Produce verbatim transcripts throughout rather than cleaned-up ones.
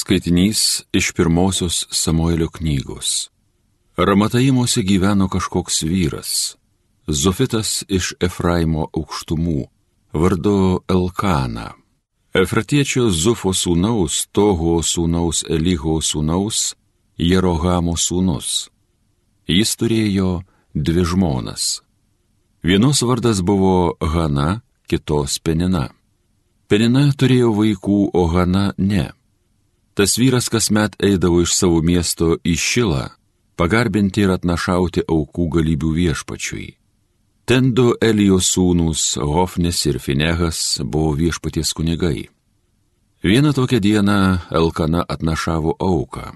Skaitinys iš pirmosios Samuelio knygos. Ramataimuose gyveno kažkoks vyras, Zofitas iš Efraimo aukštumų, vardu Elkana. Efratiečio Zufo sūnaus, Toho sūnaus Eliho sūnaus, Jerohamo sūnus. Jis turėjo dvi žmonas. Vienos vardas buvo Hana, kitos Penina. Penina turėjo vaikų, o Hana ne. Tas vyras kasmet eidavo iš savo miesto į Šilą, pagarbinti ir atnašauti aukų galybių viešpačiui. Ten du Elijo sūnūs, Hofnis ir Finehas, buvo viešpaties kunigai. Vieną tokią dieną Elkana atnašavo auką.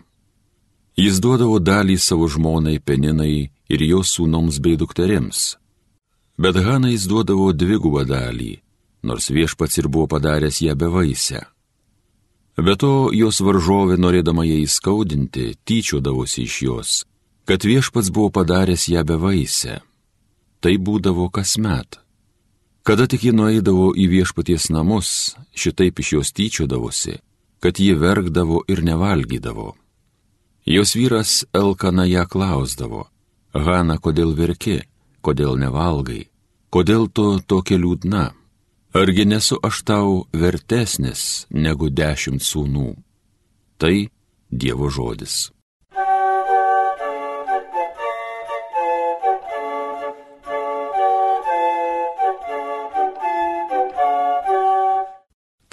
Jis duodavo dalį savo žmonai Peninai ir jos sūnoms bei dukterims. Bet Hanai jis duodavo dvigubą dalį, nors viešpats ir buvo padaręs ją bevaisę. Be to, jos varžovė, norėdama ją įskaudinti, tyčiodavosi iš jos, kad viešpats buvo padaręs ją bevaisę. Tai būdavo kasmet. Kada tik ji nueidavo į viešpaties namus, šitaip iš jos tyčiodavosi, kad ji verkdavo ir nevalgydavo. Jos vyras Elkana ją klausdavo: Hana, kodėl verki, kodėl nevalgai, kodėl tu tokia liūdna? Argi nesu aš tau vertesnis negu dešimt sūnų? Tai Dievo žodis.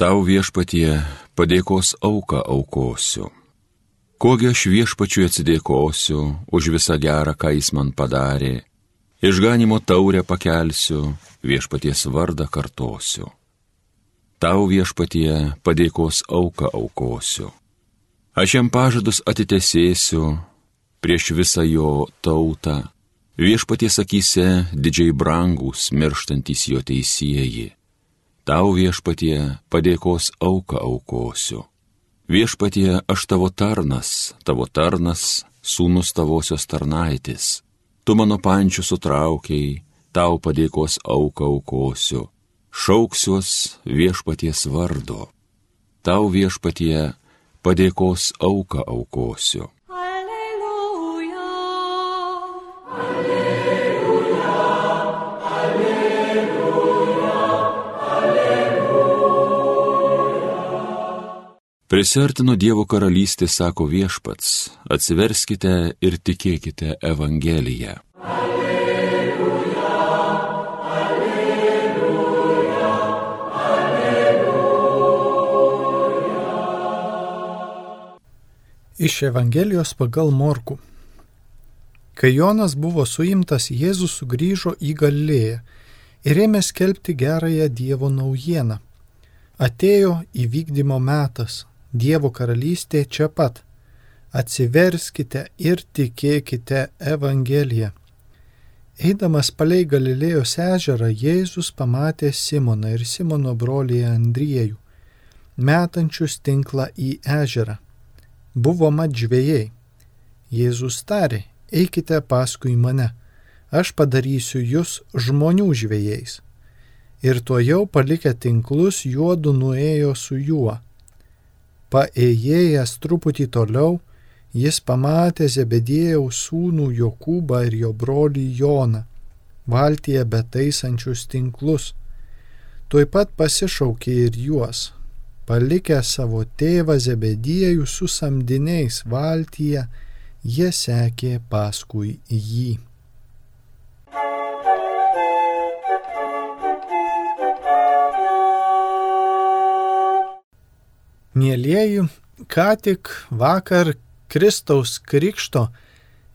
Tau viešpatie padėkos auką aukosiu. Kogi aš viešpačiui atsidėkosiu už visą gerą, ką jis man padarė. Išganimo taurę pakelsiu, viešpaties vardą kartosiu. Tau viešpatie padėkos auką aukosiu. Aš jam pažadus atitesėsiu prieš visą jo tautą. Viešpaties akyse didžiai brangus, mirštantys jo teisieji. Tau viešpatie padėkos auką aukosiu. Viešpatie aš tavo tarnas, tavo tarnas, sūnus tavosios tarnaitės. Tu mano pančių sutraukiai, tau padėkos auką aukosiu, šauksiuos viešpaties vardo. Tau viešpatie padėkos auką aukosiu. Alleluja, alleluja, alleluja, alleluja. Prisiartino Dievo karalystė, sako viešpats, atsiverskite ir tikėkite Evangeliją. Alleluja, alleluja, alleluja. Iš Evangelijos pagal Morkų. Kai Jonas buvo suimtas, Jėzus sugrįžo į Galilėją ir ėmė skelbti gerąją Dievo naujieną. Atėjo įvykdymo metas. Dievo karalystė čia pat. Atsiverskite ir tikėkite Evangeliją. Eidamas palei Galilėjos ežerą, Jėzus pamatė Simoną ir Simono brolį Andriejų, metančius tinklą į ežerą. Buvo mat žvejai. Jėzus tarė: eikite paskui mane, aš padarysiu jus žmonių žvejais. Ir tuojau palikę tinklus, juodu nuėjo su juo. Paėjėjęs truputį toliau, jis pamatė Zebediejaus sūnų Jokūbą ir jo brolį Joną, valtyje betaisančius tinklus. Tuoj pat pasišaukė ir juos. Palikę savo tėvą Zebediejų su samdiniais valtyje, jie sekė paskui jį. Mielieji, ką tik vakar Kristaus krikšto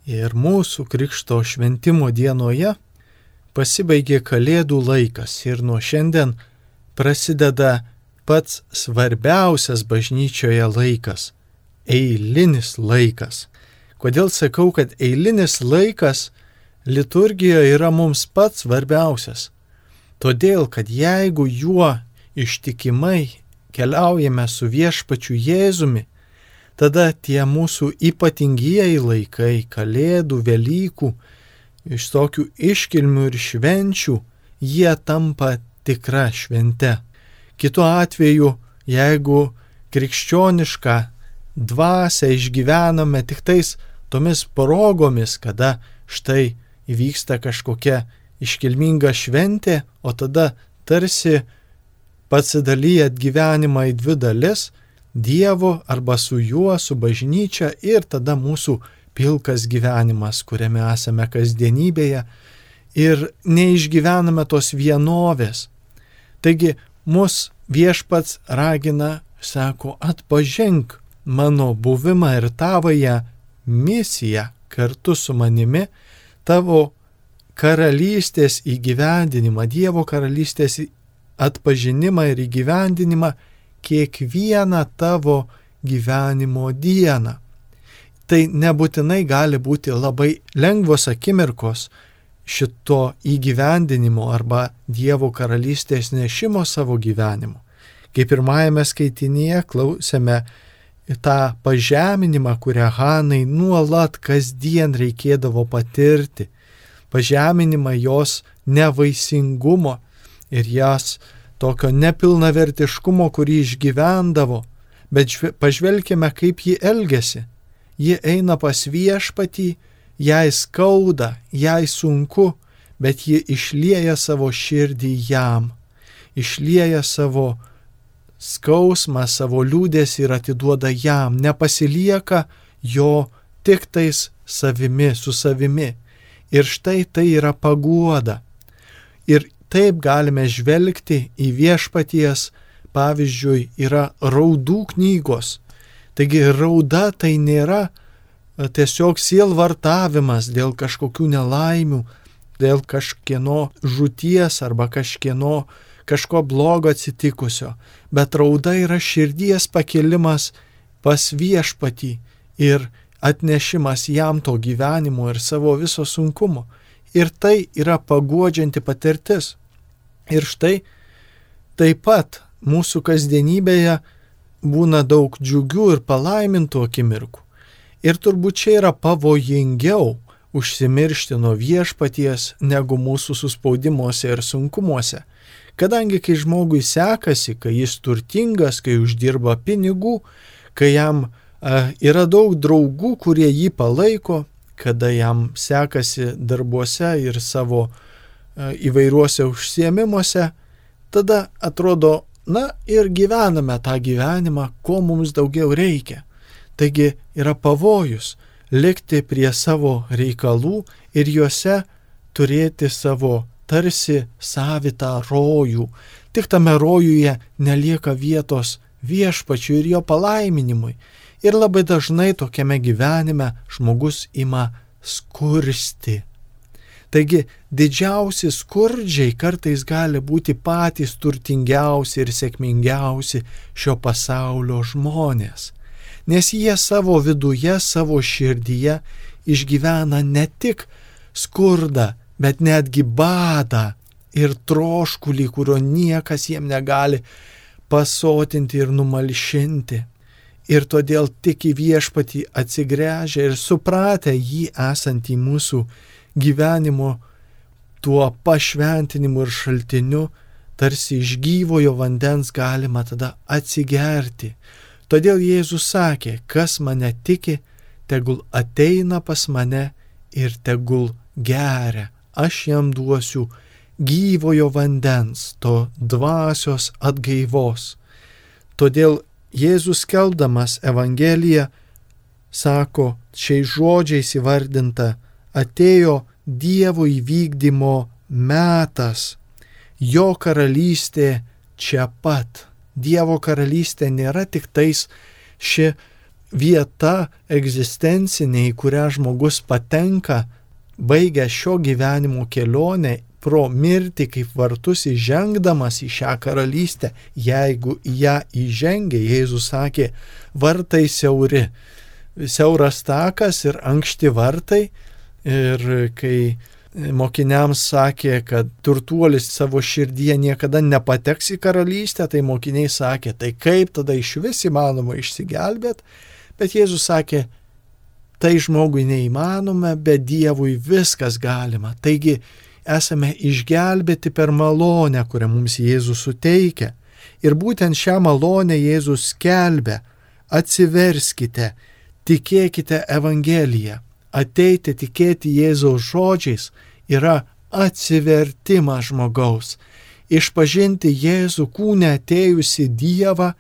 ir mūsų krikšto šventimo dienoje pasibaigė Kalėdų laikas ir nuo šiandien prasideda pats svarbiausias bažnyčioje laikas – eilinis laikas. Kodėl sakau, kad eilinis laikas liturgijoje yra mums pats svarbiausias? Todėl, kad jeigu juo ištikimai keliaujame su viešpačiu Jėzumi, tada tie mūsų ypatingieji laikai, Kalėdų, Velykų, iš tokių iškilmių ir švenčių, jie tampa tikra švente. Kitu atveju, jeigu krikščionišką dvasią išgyvename tik tais tomis progomis, kada štai įvyksta kažkokia iškilminga šventė, o tada tarsi pasidalyjat gyvenimą į dvi dalis – Dievo arba su juo, su bažnyčia ir tada mūsų pilkas gyvenimas, kuriame esame kasdienybėje ir neišgyvename tos vienovės. Taigi mus viešpats ragina, sako, atpažink mano buvimą ir tavąją misiją kartu su manimi, tavo karalystės įgyvendinimą, Dievo karalystės atpažinimą ir įgyvendinimą kiekvieną tavo gyvenimo dieną. Tai nebūtinai gali būti labai lengvos akimirkos šito įgyvendinimo arba Dievo karalystės nešimo savo gyvenimu. Kaip pirmajame skaitinyje klausėme tą pažeminimą, kurią Hanai nuolat kasdien reikėdavo patirti. Pažeminimą jos nevaisingumo ir jas tokio nepilnavertiškumo, kurį išgyvendavo, bet pažvelkime, kaip ji elgesi. Ji eina pas viešpatį, jai skauda, jai sunku, bet ji išlieja savo širdį jam, išlieja savo skausmą, savo liūdesį ir atiduoda jam, nepasilieka jo tik tais savimi, su savimi. Ir štai tai yra paguoda. Ir taip galime žvelgti į viešpaties, pavyzdžiui, yra raudų knygos. Taigi rauda tai nėra tiesiog sielvartavimas dėl kažkokių nelaimių, dėl kažkieno žūties arba kažkieno kažko blogo atsitikusio, bet rauda yra širdies pakelimas pas viešpatį ir atnešimas jam to gyvenimo ir savo viso sunkumo. Ir tai yra paguodžianti patirtis. Ir štai taip pat mūsų kasdienybėje būna daug džiugių ir palaimintų akimirkų. Ir turbūt čia yra pavojingiau užsimiršti nuo viešpaties negu mūsų suspaudimuose ir sunkumuose. Kadangi kai žmogui sekasi, kai jis turtingas, kai uždirba pinigų, kai jam a, yra daug draugų, kurie jį palaiko, kada jam sekasi darbuose ir savo a, įvairiuose užsiėmimuose, tada atrodo, na ir gyvename tą gyvenimą, ko mums daugiau reikia. Taigi yra pavojus likti prie savo reikalų ir juose turėti savo tarsi savitą rojų. Tik tame rojuje nelieka vietos viešpačiui ir jo palaiminimui. Ir labai dažnai tokiame gyvenime žmogus ima skursti. Taigi didžiausi skurdžiai kartais gali būti patys turtingiausi ir sėkmingiausi šio pasaulio žmonės. Nes jie savo viduje, savo širdyje išgyvena ne tik skurdą, bet netgi badą ir troškulį, kurio niekas jiem negali pasotinti ir numalšinti. Ir todėl tik į viešpatį atsigręžę ir supratę jį esantį mūsų gyvenimo tuo pašventinimu ir šaltiniu, tarsi iš gyvojo vandens galima tada atsigerti. Todėl Jėzus sakė, kas mane tiki, tegul ateina pas mane ir tegul geria. Aš jam duosiu gyvojo vandens, to dvasios atgaivos. Todėl Jėzus skelbdamas Evangeliją sako, šiais žodžiais įvardinta, atėjo Dievo įvykdymo metas, jo karalystė čia pat. Dievo karalystė nėra tik tais ši vieta egzistencinė, į kurią žmogus patenka, baigęs šio gyvenimo kelionę pro mirtį kaip vartus įžengdamas į šią karalystę. Jeigu į ją įžengia, Jėzus sakė, vartai siauri, siauras takas ir ankšti vartai. Ir kai mokiniams sakė, kad turtuolis savo širdyje niekada nepateks į karalystę, tai mokiniai sakė, tai kaip tada iš vis įmanoma išsigelbėti? Bet Jėzus sakė, tai žmogui neįmanoma, bet Dievui viskas galima. Taigi esame išgelbėti per malonę, kurią mums Jėzus suteikia. Ir būtent šią malonę Jėzus skelbia atsiverskite, tikėkite Evangeliją. Ateiti tikėti Jėzaus žodžiais yra atsivertimas žmogaus. Išpažinti Jėzų kūne atėjusi Dievą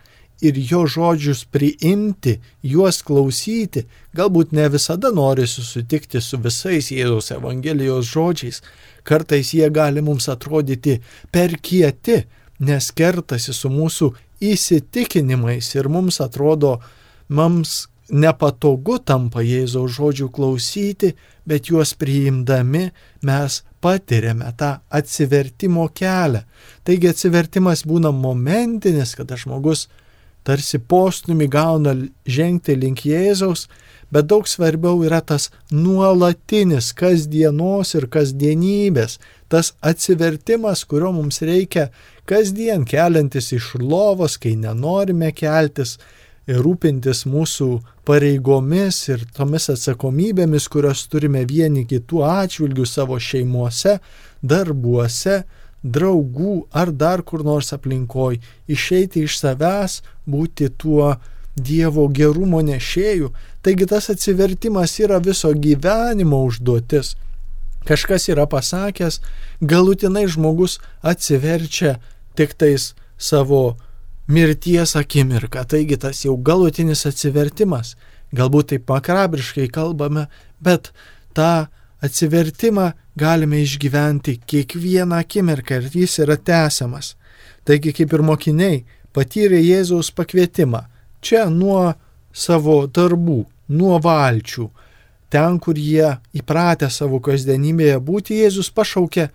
ir jo žodžius priimti, juos klausyti, galbūt ne visada norisi sutikti su visais Jėzaus Evangelijos žodžiais. Kartais jie gali mums atrodyti per kieti, nes kertasi su mūsų įsitikinimais ir mums atrodo, mums nepatogu tampa Jėzaus žodžių klausyti, bet juos priimdami mes patiriame tą atsivertimo kelią. Taigi atsivertimas būna momentinis, kada žmogus tarsi postūmį gauna žengti link Jėzaus, bet daug svarbiau yra tas nuolatinis kasdienos ir kasdienybės, tas atsivertimas, kurio mums reikia kasdien keliantis iš lovos, kai nenorime keltis, ir rūpintis mūsų pareigomis ir tomis atsakomybėmis, kurios turime vieni kitų atžvilgių savo šeimuose, darbuose, draugų ar dar kur nors aplinkoj, išeiti iš savęs, būti tuo Dievo gerumo nešėju. Taigi tas atsivertimas yra viso gyvenimo užduotis. Kažkas yra pasakęs, galutinai žmogus atsiverčia tik tais savo mirties akimirką. Taigi tas jau galutinis atsivertimas. Galbūt taip makabriškai kalbame, bet tą atsivertimą galime išgyventi kiekvieną akimirką ir jis yra tęsiamas. Taigi kaip ir mokiniai patyrė Jėzaus pakvietimą. Čia nuo savo darbų, nuo valčių. Ten, kur jie įpratę savo kasdienybėje būti, Jėzus pašaukė: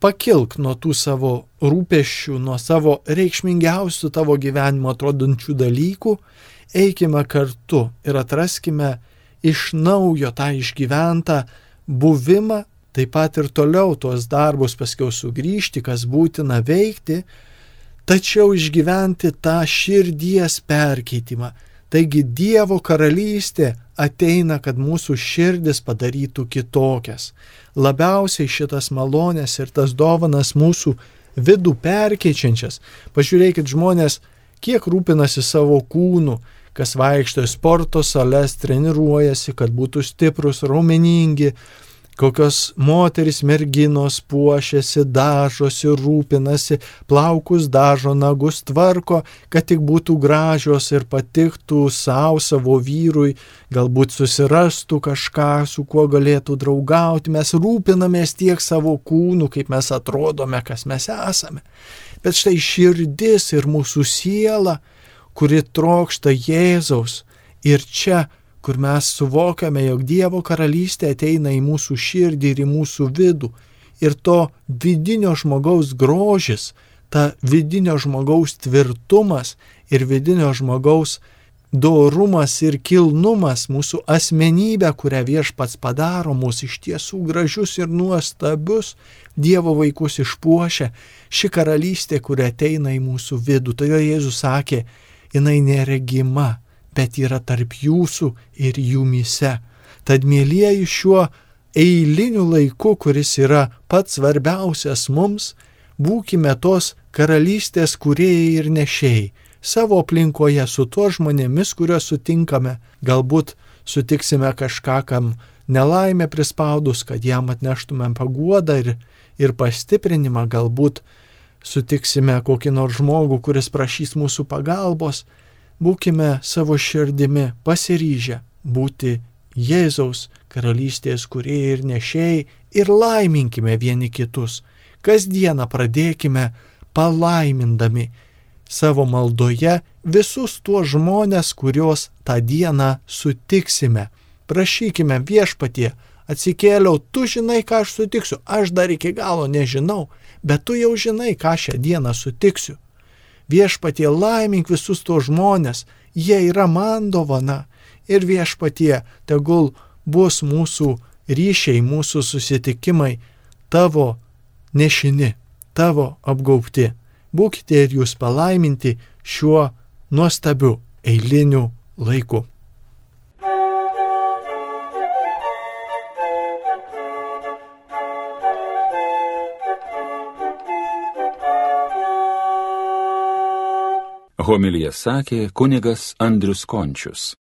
pakilk nuo tų savo rūpesčių, nuo savo reikšmingiausių tavo gyvenimo atrodančių dalykų, eikime kartu ir atraskime iš naujo tą išgyventą buvimą, taip pat ir toliau tuos darbus paskiau sugrįžti, kas būtina veikti, tačiau išgyventi tą širdies perkeitimą. Taigi Dievo karalystė ateina, kad mūsų širdis padarytų kitokias. Labiausiai šitas malonės ir tas dovanas mūsų vidų perkeičiančias. Pažiūrėkit žmonės, kiek rūpinasi savo kūnu, kas vaikšto į sporto sales, treniruojasi, kad būtų stiprus, raumeningi, kokios moterys, merginos puošiasi, dažosi, rūpinasi, plaukus dažo, nagus tvarko, kad tik būtų gražios ir patiktų savo, savo vyrui, galbūt susirastų kažką, su kuo galėtų draugauti. Mes rūpinamės tiek savo kūnų, kaip mes atrodome, kas mes esame. Bet štai širdis ir mūsų siela, kuri trokšta Jėzaus, ir čia, kur mes suvokiame, jog Dievo karalystė ateina į mūsų širdį ir į mūsų vidų. Ir to vidinio žmogaus grožis, ta vidinio žmogaus tvirtumas ir vidinio žmogaus dorumas ir kilnumas, mūsų asmenybė, kurią Viešpats padaro mūsų iš tiesų gražius ir nuostabius, Dievo vaikus išpuošia, ši karalystė, kuri ateina į mūsų vidų. Tai jo Jėzus sakė, jinai neregima, bet yra tarp jūsų ir jumyse. Tad, mielieji, šiuo eiliniu laiku, kuris yra pats svarbiausias mums, būkime tos karalystės kūrėjai ir nešėjai. Savo aplinkoje su tuo žmonėmis, kuriuos sutinkame, galbūt sutiksime kažką, kam nelaimė prispaudus, kad jam atneštumėm paguodą ir, ir pastiprinimą, galbūt sutiksime kokį nors žmogų, kuris prašys mūsų pagalbos. Būkime savo širdimi pasiryžę būti Jėzaus karalystės kūrėjai ir nešėjai ir laiminkime vieni kitus. Kasdieną pradėkime palaimindami savo maldoje visus tuos žmonės, kuriuos tą dieną sutiksime. Prašykime: Viešpatie, atsikėliau, tu žinai, ką aš sutiksiu, aš dar iki galo nežinau, bet tu jau žinai, ką šią dieną sutiksiu. Viešpatie, laimink visus tuos žmonės, jie yra man dovana. Ir Viešpatie, tegul bus mūsų ryšiai, mūsų susitikimai tavo nešini, tavo apgaubti. Būkite ir jūs palaiminti šiuo nuostabiu eiliniu laiku. Homiliją sakė kunigas Andrius Končius.